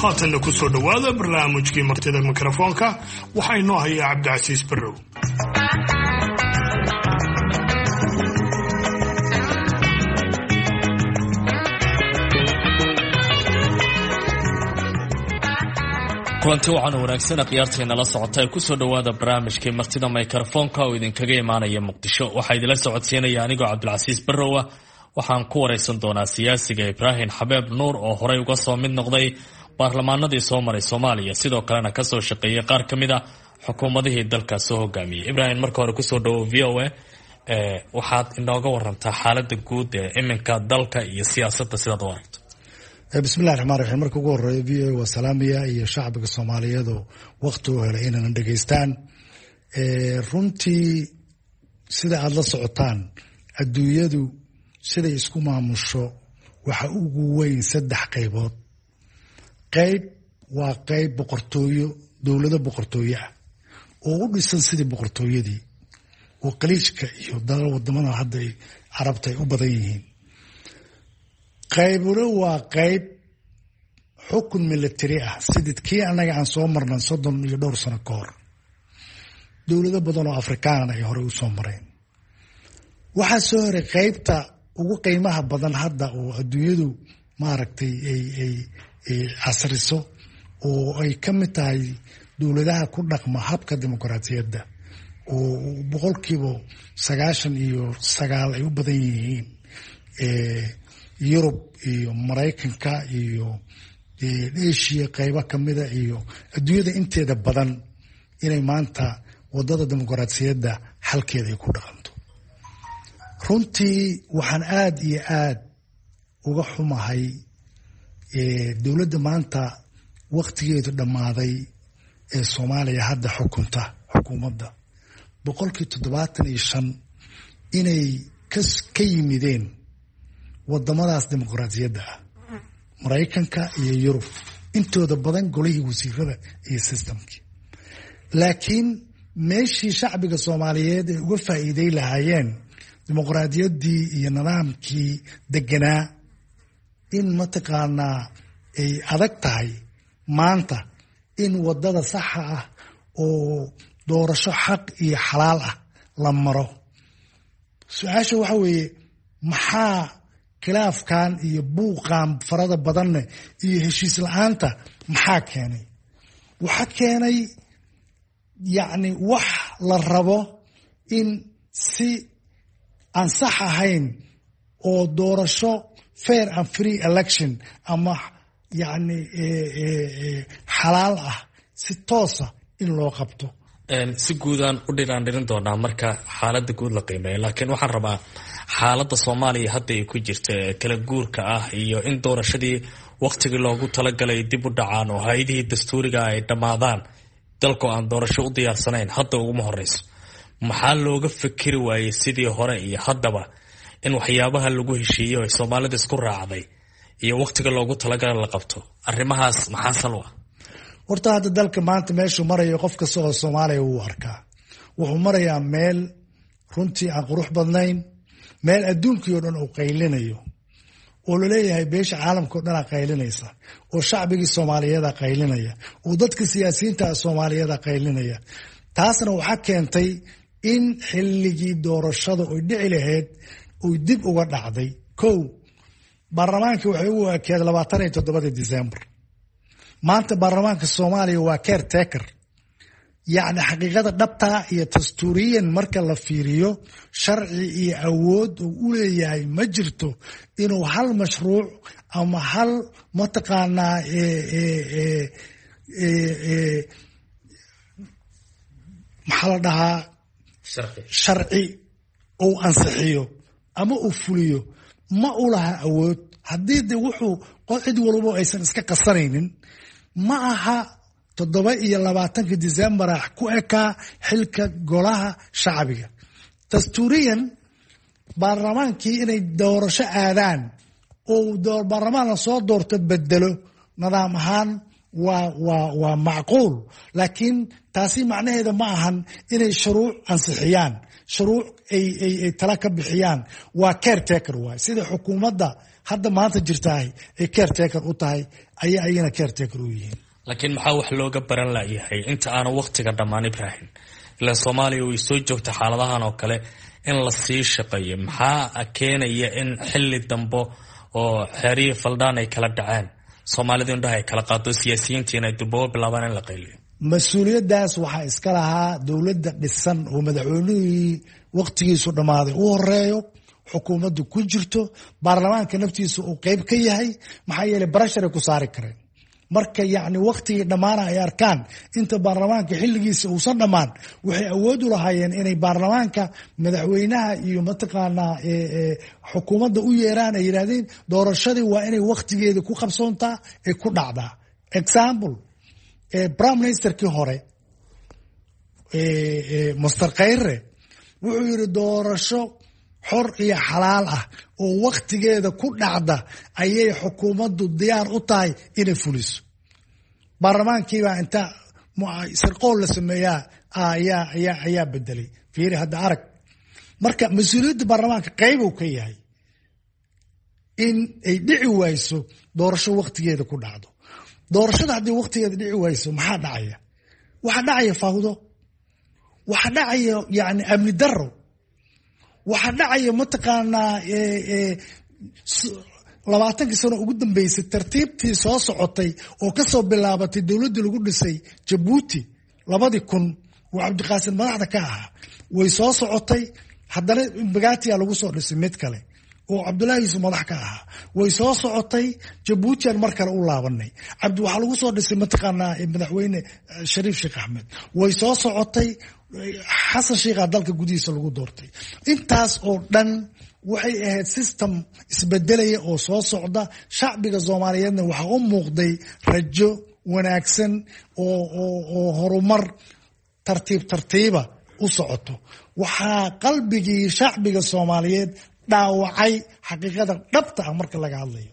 Haatanna ku soo dhowaada barnaamijkii Martida Mikrofoonka. Waxaa inoo hayaa Cabdicasiis Barrow. Kulanti waxaana wanaagsan khiyaarteena la socota ee kusoo dhowaada barnaamijkii Martida Mikrofoonka oo idinkaga imaanaya Muqdisho. Waxaa idinla socodsiinaya anigoo Cabdilcasiis Barrowa. Waxaan ku wareysan doonaa siyaasiga Ibraahim Xabeeb Nuur oo horey uga soo mid noqday baarlamaanadii soo maray Soomaaliya, sidoo kalena kasoo shaqeeyay qaar ka mid a xukuumadihii dalka soo hogaamiyey. Ibraahim, marka hore kusoo dhawo VOA. Waxaad inooga warantaa xaalada guud ee iminka dalka iyo siyaasadda sidaad u aragto. Bismillahi raxmaan raxiim. Marka ugu horeeya, VOA waa salaamaya iyo shacbiga Soomaaliyeed oo wakti u helay inayna dhegeystaan. Runtii, sida aada la socotaan, adduunyadu siday isku maamusho waxa ugu weyn saddex qaybood. Qayb waa qayb boqortooyo, dowlado boqortooyo ah oo u dhisan sidii boqortooyadii oo Qaliijka iyo dalal wadamada hadda ay Carabta ay u badan yihiin. Qaybuna waa qayb xukun military ah, sidii kii annaga aan soo marnay 30 iyo dhowr sano ka hor, dowlado badan oo Afrikaanana ay horey u soo mareen. Waxaa soo horay qaybta ugu qiimaha badan hadda oo adduunyadu maaragtay ay casriso oo ay ka mid tahay dowladaha ku dhaqma habka dimuqraadiyadda, oo 99% ay u badan yihiin Yurub iyo Maraykanka iyo Asia qaybo kamida iyo adduunyada inteeda badan, inay maanta wadada dimuqraadiyadda xalkeeda ay ku dhaqanto. Runtii waxaan aada iyo aada uga xumahay dowladda maanta waktigeedu dhammaaday ee Soomaaliya hadda xukunta, xukuumadda 75% inay ka yimideen wadamadaas dimuqraadiyadda ah, Maraykanka iyo Yurub, intooda badan golihii wasiirada iyo systemkii. Laakiin meeshii shacbiga Soomaaliyeed ay uga faa'iiday lahaayeen dimuqraadiyaddii iyo nidaamkii deganaa, in mataqaanaa ay adag tahay maanta in wadada saxa ah oo doorasho xaq iyo xalaal ah la maro. Su-aasha waxa weeye, maxaa khilaafkan iyo buuqan farada badanne iyo heshiis la-aanta maxaa keenay? Waxa keenay, yacni, wax la rabo in si aan sax ahayn oo doorasho fair and free election ama yacni xalaal ah si toosa in loo qabto. Si guudaan u dhiraan dhirin doonaa marka xaaladda guud la qiimeeyo, laakiin waxaan rabaa xaaladda Soomaaliya hadda ay ku jirta ee kala guurka ah iyo in doorashadii waktigii loogu talagalay dib u dhacaan oo hay-adihii dastuuriga ay dhammaadaan, dalkoo aan doorasho u diyaarsanayn hadda uguma horeyso. Maxaa looga fikiri waayey sidii hore iyo haddaba in waxyaabaha lagu heshiiyo ay Soomaalida isku raacday iyo waktiga loogu talagalay la qabto? Arrimahaas maxaa sal u ah? Horta hadda dalka maanta meeshuu marayo qof kasta oo Soomaaliya wuu arkaa. Wuxuu marayaa meel runtii aan qurux badnayn, meel adduunkii oo dhan uu qaylinayo oo laleeyahay beesha caalamka o dhanaa qaylinaysa, oo shacbigii Soomaaliyeeda qaylinaya, oo dadka siyaasiyiinta Soomaaliyeeda qaylinaya. Taasna waxaa keentay in xilligii doorashada oy dhici lahayd oy dib uga dhacday. Kow, baarlamaankii waxay ugu ekeed 27-dii December. Maanta baarlamaanka Soomaaliya waa caretaker. Yacni, xaqiiqada dhabtaa iyo dastuuriyan marka la fiiriyo, sharci iyo awood uu u leeyahay ma jirto inuu hal mashruuc ama hal mataqaanaa maxaa la dhahaa, sharci uu ansixiyo ama uu fuliyo ma u laha awood. Haddii de wuxuu cid walbo aysan iska qasanaynin, ma aha 27-ka Decembera ku ekaa xilka golaha shacbiga. Dastuuriyan baarlamaankii inay doorasho aadaan oo baarlamaan lasoo doorto bedelo nidaam ahaan Waa macquul, laakiin taasi macnaheeda ma ahan inay shuruuc ansixiyaan, shuruuc ay tala ka bixiyaan. Waa caretaker waay. Sida xukuumadda hadda maanta jirtahay ay caretaker u tahay ayay ayagana caretaker u yihiin. Laakiin maxaa wax looga baran layahay inta aanu waqtiga dhammaan, Ibrahim? Ilaan Soomaaliya way soo joogta xaaladahan oo kale in la sii shaqeeyo. Maxaa keenaya in xilli dambe oo xeerihii faldhaan ay kala dhaceen, Soomaalidu indhaha ay kala qaado, siyaasiyiintiina ay durbaba bilaabaan in la qayliyo? Mas-uuliyaddaas waxaa iska lahaa dowladda dhisan oo madaxweynihii waqtigiisu dhammaaday u horeeyo, xukuumaddu ku jirto, baarlamaanka naftiisa uu qeyb ka yahay. Maxaa yeelay pressure ay ku saari kareen marka yacni waqtigii dhammaana ay arkaan inta baarlamaanka xilligiisa uusan dhammaan. Waxay awood u lahaayeen inay baarlamaanka, madaxweynaha iyo mataqaanaa xukuumadda u yeeraan, ay yidhahdeen doorashadii waa inay waqtigeeda ku qabsoontaa, ay ku dhacdaa. Example, prime ministerkii hore Mister Khayre wuxuu yidhi doorasho xor iyo xalaal ah oo waktigeeda ku dhacda ayay xukuumaddu diyaar u tahay inay fuliso. Baarlamaankiibaa inta sirqool la sameeyaa ayaa bedelay. Fiiri hadda, arag, marka mas-uuliyadda baarlamaanka qayb uu ka yahay in ay dhici wayso doorasho waktigeeda ku dhacdo. Doorashada haddii waktigeeda dhici wayso, maxaa dhacaya? Waxaa dhacaya fawdo, waxaa dhacaya yani amni daro, waxaa dhacaya mataqaanaa 20kii sano ugu dambeysay tartiibtii soo socotay oo kasoo bilaabatay dowladdii lagu dhisay Jabuuti 2000 oo Cabdiqaasim madaxda ka ahaa. Way soo socotay. Haddana Mbagathia lagu soo dhisay mid kale oo Cabdullahi Yuusuf madax ka ahaa. Way soo socotay. Jabuutian mar kale u laabanay. Cabdi waxaa lagu soo dhisay mataqaanaa madaxweyne Shariif Sheekh Axmed. Way soo socotay. Xasan Sheikha dalka gudihiisa lagu doortay. Intaas oo dhan waxay ahayd system isbedelaya oo soo socda. Shacbiga Soomaaliyeedna waxaa u muuqday rajo wanaagsan oo horumar tartiib tartiiba u socoto. Waxaa qalbigii shacbiga Soomaaliyeed dhaawacay, xaqiiqada dhabta ah marka laga hadlayo,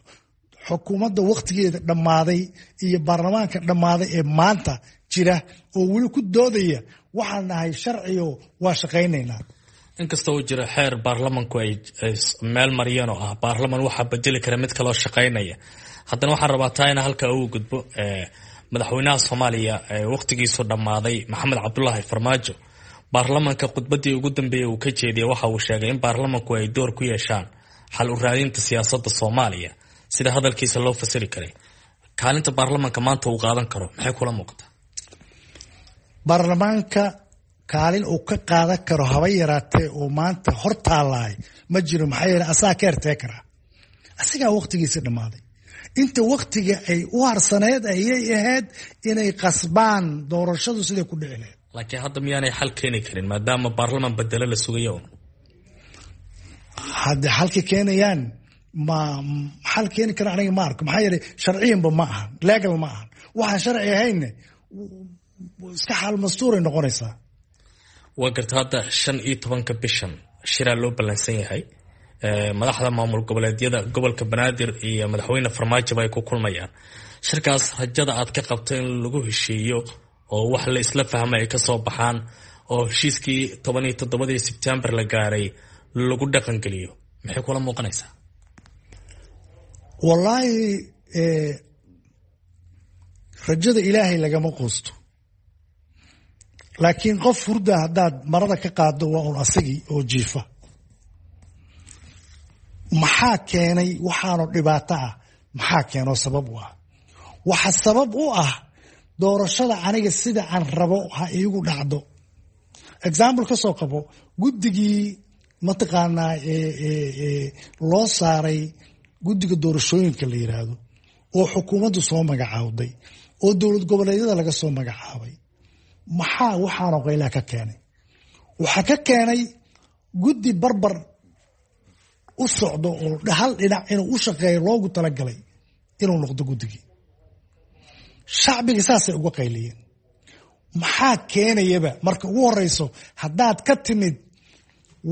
xukuumadda wakhtigeeda dhammaaday iyo baarlamaanka dhammaaday ee maanta jira oo weli ku doodaya waxaan nahay sharciyo, waa shaqaynaynaa. Inkasta uu jiro xeer baarlamanku ay meel mariyeen oo ah baarlaman waxaa bedeli kara mid kaloo shaqaynaya, haddana waxaan rabaa taa ina halka uu gudbo. Madaxweynaha Soomaaliya wakhtigiisu dhammaaday, Maxamed Cabdulaahi Farmaajo, baarlamanka khudbaddii ugu dambeeyey uu ka jeediyey waxa uu sheegay in baarlamanku ay door ku yeeshaan xal u raadinta siyaasadda Soomaaliya, sida hadalkiisa loo fasiri karay. Kaalinta baarlamanka maanta uu qaadan karo maxay kula muuqataa? Baarlamaanka kaalin uu ka qaadan karo haba yaraatee oo maanta hor taalaay ma jiro. Maxaa yeele asaga caretaker, asigaa waqtigiisi dhammaaday. Inta waktiga ay u harsaneed ayay ahayd inay qasbaan doorashadu siday ku dhici lahayd. Laakiin hadda miyaanay xal keeni karin maadaama baarlaman bedelo la sugayo un? Hadda xalka keenayaan ma xal keeni kara aniga ma arko. Maxaa yeelay sharciyanba ma ahan, legal ma ahan. Waxaan sharci ahaynne iska xaal mastuuray noqonaysaa. Waa garta. Hadda 15-ka bishan shiraa loo ballansan yahay, madaxda maamul goboleedyada, gobolka Banaadir iyo madaxweyne Farmaajoba ay ku kulmayaan shirkaas. Rajada aad ka qabto in lagu heshiiyo oo wax la isla fahmay ay kasoo baxaan oo heshiiskii 17-dii Sebtembar la gaaray lagu dhaqangeliyo, maxay kula muuqanaysaa? Wallaahi, rajada Ilaahay lagama quusto, laakiin qof hurda haddaad marada ka qaado waa un asagii oo jiifa. Maxaa keenay waxaanu dhibaato ah? Maxaa keenoo sabab u ah? Waxa sabab u ah doorashada aniga sida aan rabo ha iigu dhacdo. Example ka soo qabo guddigii mataqaanaa loo saaray guddiga doorashooyinka la yiraahdo oo xukuumaddu soo magacaawday oo dowlad goboleedyada laga soo magacaabay. Maxaa waxaanoo qaylaa ka keenay? Waxaa ka keenay guddi barbar u socdo oo hal dhinac inuu u shaqeeyo loogu talagalay inuu noqdo guddigii. Shacbiga saasay uga qayliyeen. Maxaa keenayaba? Marka ugu horeyso, haddaad ka timid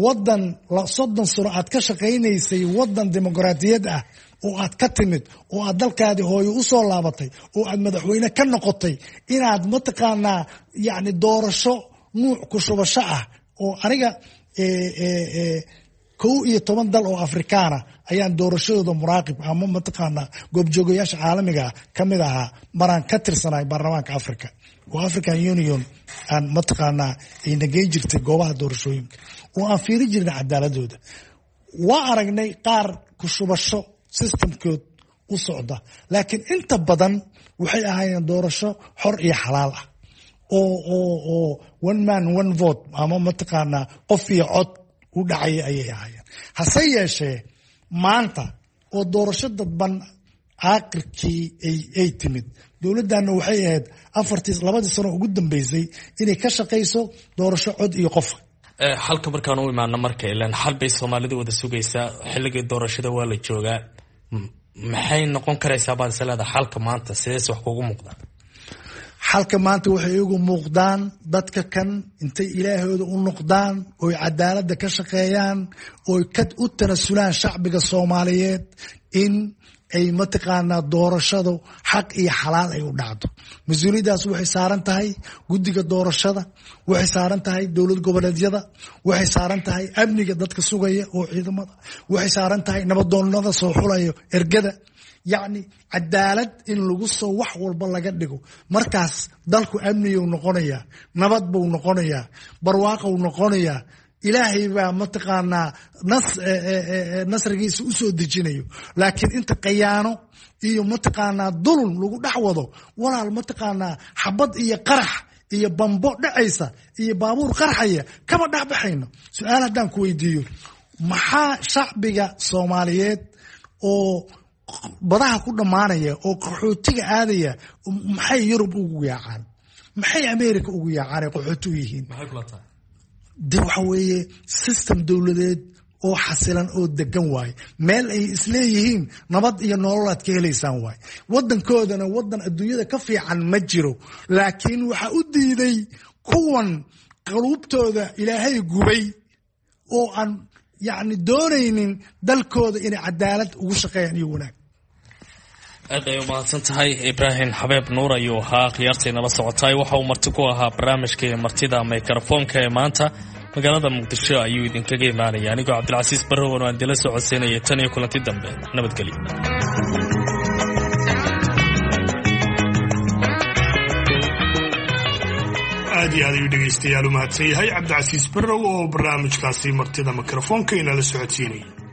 wadan 30 sano aad ka shaqaynaysay wadan dimuqraadiyad ah oo aad ka timid oo aad dalkaadii hooyo u soo laabatay oo aad madaxweyne ka noqotay, inaad mataqaanaa yacni doorasho nuuc ku shubasho ah oo aniga 11 dal oo Afrikaana ayaan doorashadooda muraaqib ama mataqaanaa goobjoogayaasha caalamiga ka mid ahaa maraan ka tirsanahay baarlamaanka Africa oo African Union aan mataqaanaa ayna geyn jirtay goobaha doorashooyinka oo aan fiiri jirnay cadaaladooda. Waa aragnay qaar ku shubasho systemkood u socda, laakiin inta badan waxay ahaayeen doorasho xor iyo xalaal ah oo one man one vote ama mataqaanaa qof iyo cod u dhacaya ayay ahaayeen. Hase yeeshee maanta oo doorasho dadban aakhirkii ay timid, dowladdanna waxay ahayd 2dii sano ugu dambeysay inay ka shaqayso doorasho cod iyo qof. Xalka markaan u imaano marka, ilaan xal bay soomaalidu wada sugaysaa, xilligii doorashada waa la joogaa, maxay noqon karaysaa baad is leedahay xalka maanta? Sidees wax kugu muuqdaan? Xalka maanta waxay igu muuqdaan dadka kan intay ilaahooda u noqdaan oy cadaaladda ka shaqeeyaan oy u tanasulaan shacbiga Soomaaliyeed in ay mataqaanaa doorashadu xaq iyo xalaal ay u dhacdo. Mas-uuliyaddaas waxay saaran tahay guddiga doorashada, waxay saaran tahay dowlad goboleedyada, waxay saaran tahay amniga dadka sugaya oo ciidamada, waxay saaran tahay nabadoonnada soo xulaya ergada. Yacni cadaalad in lagu soo wax walba laga dhigo, markaas dalku amniyuu noqonayaa, nabad buu noqonayaa, barwaaqou noqonayaa. Ilaahay baa mataqaanaa nasrigiisa u soo dejinayo. Laakiin inta khayaano iyo mataqaanaa dulun lagu dhex wado, walaal mataqaanaa xabad iyo qarax iyo bambo dhacaysa iyo baabuur qarxaya kama dhex baxayno. Su-aal haddaan ku weydiiyo, maxaa shacbiga Soomaaliyeed oo badaha ku dhammaanaya oo qaxootiga aadaya maxay Yurub ugu yaacaan, maxay America ugu yaacaan ay qaxooti u yihiin? De waxa weeye system dowladeed oo xasilan oo degan waaye, meel ay isleeyihiin nabad iyo nolol aad ka helaysaan waaye. Wadankoodana wadan adduunyada ka fiican ma jiro, laakiin waxaa u diiday kuwan qaluubtooda ilaahay gubay oo aan yacni doonaynin dalkooda inay cadaalad ugu shaqeeyaan iyo wanaag. Aad ay umahadsan tahay. Ibraahim Xabeeb Nuur ayuu ahaa khiyaartaynala socotay. Waxa uu marti ku ahaa barnaamijkii martida mikrofoonka ee maanta magaalada Muqdisho ayuu idinkaga imaanaya. Anigoo Cabdilcasiis Barrowan oo aan idinla socodsiinaya, tan iyo kulanti dambe, nabadgelyo. Aad iyo aad ayuu dhegaystayaal u mahadsan yahay Cabdicasiis Barrow oo barnaamijkaasi martida mikrofoonka inala socodsiinayay.